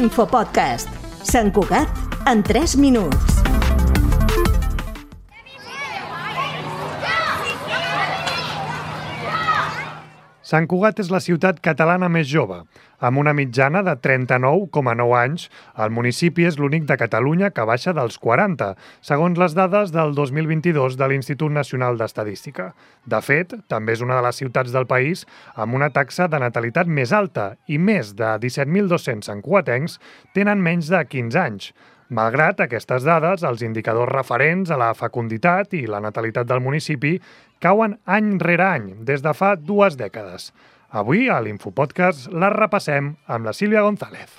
L'infopodcast. Sant Cugat en 3 minuts. Sant Cugat és la ciutat catalana més jove. Amb una mitjana de 39,9 anys, el municipi és l'únic de Catalunya que baixa dels 40, segons les dades del 2022 de l'Institut Nacional d'Estadística. De fet, també és una de les ciutats del país amb una taxa de natalitat més alta i més de 17.200 santcugatencs tenen menys de 15 anys. Malgrat aquestes dades, els indicadors referents a la fecunditat i la natalitat del municipi cauen any rere any, des de fa 2 dècades. Avui, a l'Infopodcast, la repassem amb la Sílvia González.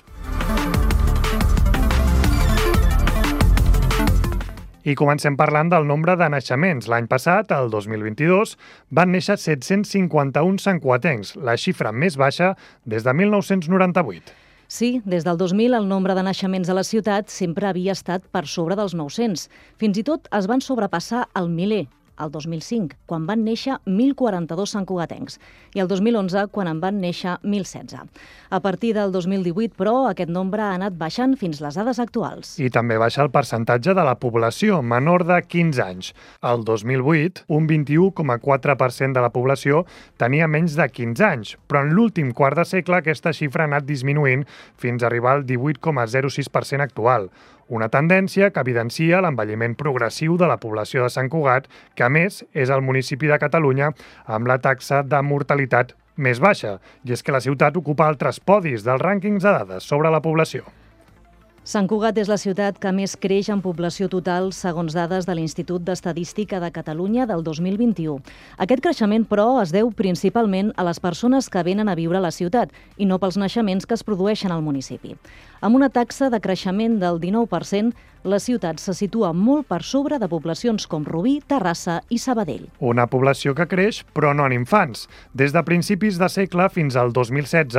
I comencem parlant del nombre de naixements. L'any passat, el 2022, van néixer 751 santcugatencs, la xifra més baixa des de 1998. Sí, des del 2000 el nombre de naixements a la ciutat sempre havia estat per sobre dels 900. Fins i tot es van sobrepassar el miler, el 2005, quan van néixer 1.042 santcugatencs, i el 2011, quan en van néixer 1.016. A partir del 2018, però, aquest nombre ha anat baixant fins les dades actuals. I també baixa el percentatge de la població menor de 15 anys. El 2008, un 21,4% de la població tenia menys de 15 anys, però en l'últim quart de segle aquesta xifra ha anat disminuint fins a arribar al 18,06% actual. Una tendència que evidencia l'envelliment progressiu de la població de Sant Cugat, que a més és el municipi de Catalunya amb la taxa de mortalitat més baixa, i és que la ciutat ocupa altres podis dels rànquings de dades sobre la població. Sant Cugat és la ciutat que més creix en població total segons dades de l'Institut d'Estadística de Catalunya del 2021. Aquest creixement, però, es deu principalment a les persones que venen a viure a la ciutat i no pels naixements que es produeixen al municipi. Amb una taxa de creixement del 19%, la ciutat se situa molt per sobre de poblacions com Rubí, Terrassa i Sabadell. Una població que creix, però no en infants. Des de principis de segle fins al 2016,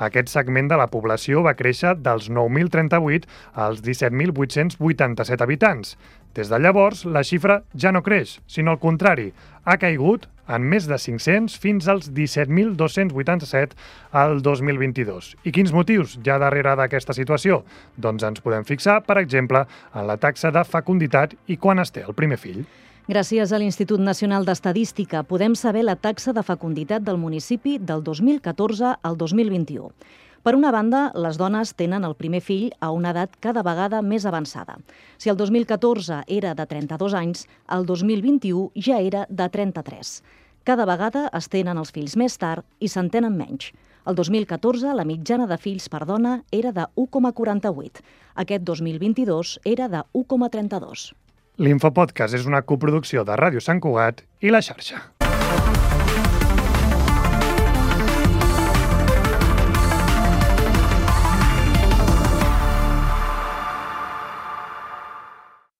aquest segment de la població va créixer dels 9.038 als 17.887 habitants. Des de llavors, la xifra ja no creix, sinó al contrari, ha caigut en més de 500 fins als 17.287 al 2022. I quins motius hi ha darrere d'aquesta situació? Doncs ens podem fixar, per exemple, en la taxa de fecunditat i quan es té el primer fill. Gràcies a l'Institut Nacional d'Estadística podem saber la taxa de fecunditat del municipi del 2014 al 2021. Per una banda, les dones tenen el primer fill a una edat cada vegada més avançada. Si el 2014 era de 32 anys, el 2021 ja era de 33. Cada vegada es tenen els fills més tard i se'n tenen menys. El 2014 la mitjana de fills per dona era de 1,48. Aquest 2022 era de 1,32. L'Infopodcast és una coproducció de Ràdio Sant Cugat i La Xarxa.